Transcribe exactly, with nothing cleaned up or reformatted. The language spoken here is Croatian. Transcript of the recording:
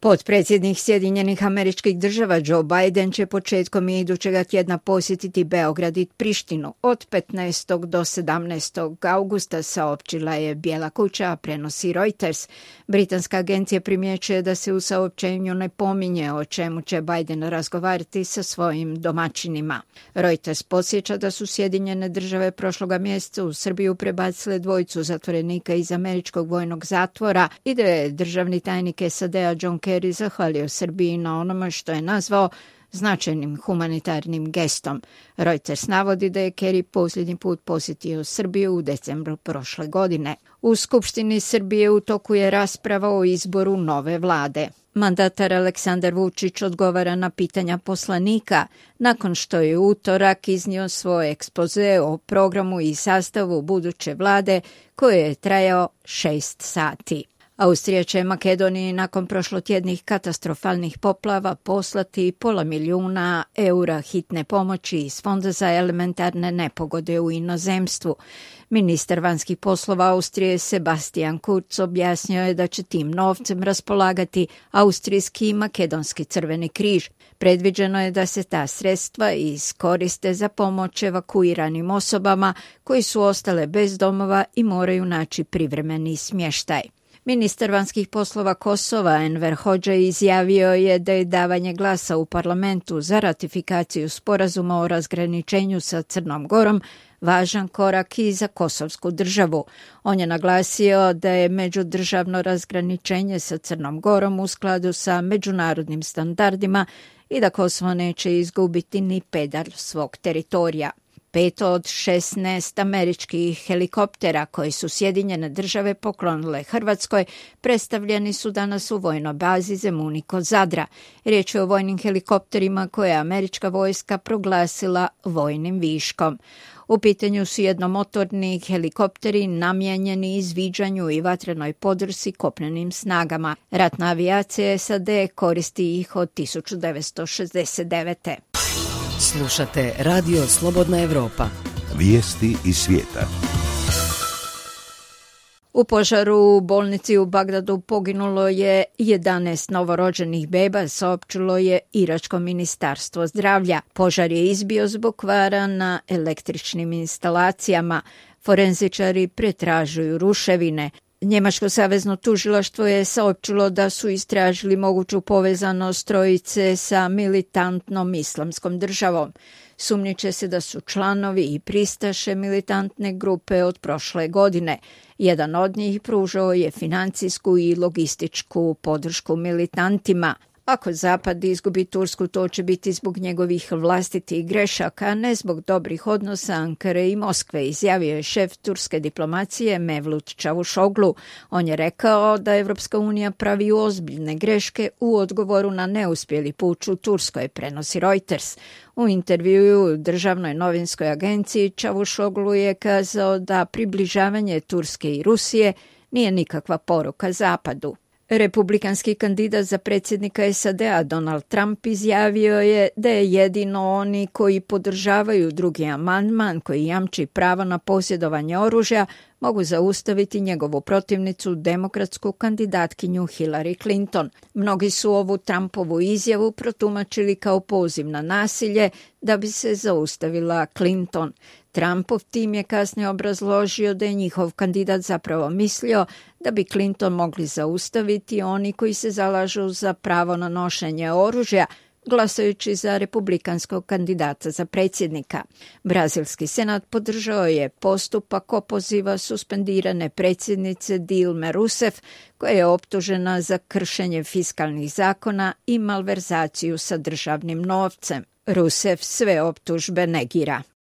Potpredsjednik Sjedinjenih Američkih Država Joe Biden će početkom idućega tjedna posjetiti Beograd i Prištinu od petnaestog do sedamnaestog augusta, saopćila je Bijela kuća, a prenosi Reuters. Britanska agencija primjećuje da se u saopćenju ne pominje o čemu će Biden razgovarati sa svojim domaćinima. Reuters podsjeća da su Sjedinjene Države prošloga mjeseca u Srbiju prebacile dvojicu zatvorenika iz američkog vojnog zatvora i da je državni tajnik S A D-a John Kerry zahvalio Srbiji na onome što je nazvao značajnim humanitarnim gestom. Reuters navodi da je Kerry posljednji put posjetio Srbiju u decembru prošle godine. U Skupštini Srbije u toku je rasprava o izboru nove vlade. Mandatar Aleksandar Vučić odgovara na pitanja poslanika nakon što je u utorak iznio svoj ekspoze o programu i sastavu buduće vlade koji je trajao šest sati. Austrija će Makedoniji nakon prošlotjednih katastrofalnih poplava poslati pola milijuna eura hitne pomoći iz Fonda za elementarne nepogode u inozemstvu. Ministar vanjskih poslova Austrije Sebastian Kurz objasnio je da će tim novcem raspolagati Austrijski i Makedonski crveni križ. Predviđeno je da se ta sredstva iskoriste za pomoć evakuiranim osobama koji su ostale bez domova i moraju naći privremeni smještaj. Ministar vanjskih poslova Kosova Enver Hoxha izjavio je da je davanje glasa u parlamentu za ratifikaciju sporazuma o razgraničenju sa Crnom Gorom važan korak i za kosovsku državu. On je naglasio da je međudržavno razgraničenje sa Crnom Gorom u skladu sa međunarodnim standardima i da Kosovo neće izgubiti ni pedalj svog teritorija. Pet od šesnaest američkih helikoptera koji su Sjedinjene Države poklonile Hrvatskoj predstavljeni su danas u vojnoj bazi Zemunik kod Zadra. Riječ je o vojnim helikopterima koje je američka vojska proglasila vojnim viškom. U pitanju su jednomotorni helikopteri namijenjeni izviđanju i vatrenoj podršci kopnenim snagama. Ratna avijacija S A D koristi ih od tisuću devetsto šezdeset devete. Slušate Radio Slobodna Evropa. Vijesti iz svijeta. U požaru u bolnici u Bagdadu poginulo je jedanaest novorođenih beba, saopćilo je Iračko ministarstvo zdravlja. Požar je izbio zbog kvara na električnim instalacijama. Forenzičari pretražuju ruševine. Njemačko savezno tužilaštvo je saopćilo da su istražili moguću povezanost trojice sa militantnom islamskom državom. Sumnjiče se da su članovi i pristaše militantne grupe od prošle godine. Jedan od njih pružao je financijsku i logističku podršku militantima. Ako Zapad izgubi Tursku, to će biti zbog njegovih vlastitih grešaka, a ne zbog dobrih odnosa Ankare i Moskve, izjavio je šef turske diplomacije Mevlut Čavuşoglu. On je rekao da Evropska unija pravi ozbiljne greške u odgovoru na neuspjeli puč u Turskoj, prenosi Reuters. U intervjuu državnoj novinskoj agenciji Čavuşoglu je kazao da približavanje Turske i Rusije nije nikakva poruka Zapadu. Republikanski kandidat za predsjednika S A D-a Donald Trump izjavio je da je jedino oni koji podržavaju drugi amandman koji jamči pravo na posjedovanje oružja mogu zaustaviti njegovu protivnicu, demokratsku kandidatkinju Hillary Clinton. Mnogi su ovu Trumpovu izjavu protumačili kao poziv na nasilje da bi se zaustavila Clinton. Trumpov tim je kasnije obrazložio da je njihov kandidat zapravo mislio da bi Clinton mogli zaustaviti oni koji se zalažu za pravo na nošenje oružja, glasajući za republikanskog kandidata za predsjednika. Brazilski senat podržao je postupak opoziva suspendirane predsjednice Dilme Rousseff, koja je optužena za kršenje fiskalnih zakona i malverzaciju sa državnim novcem. Rousseff sve optužbe negira.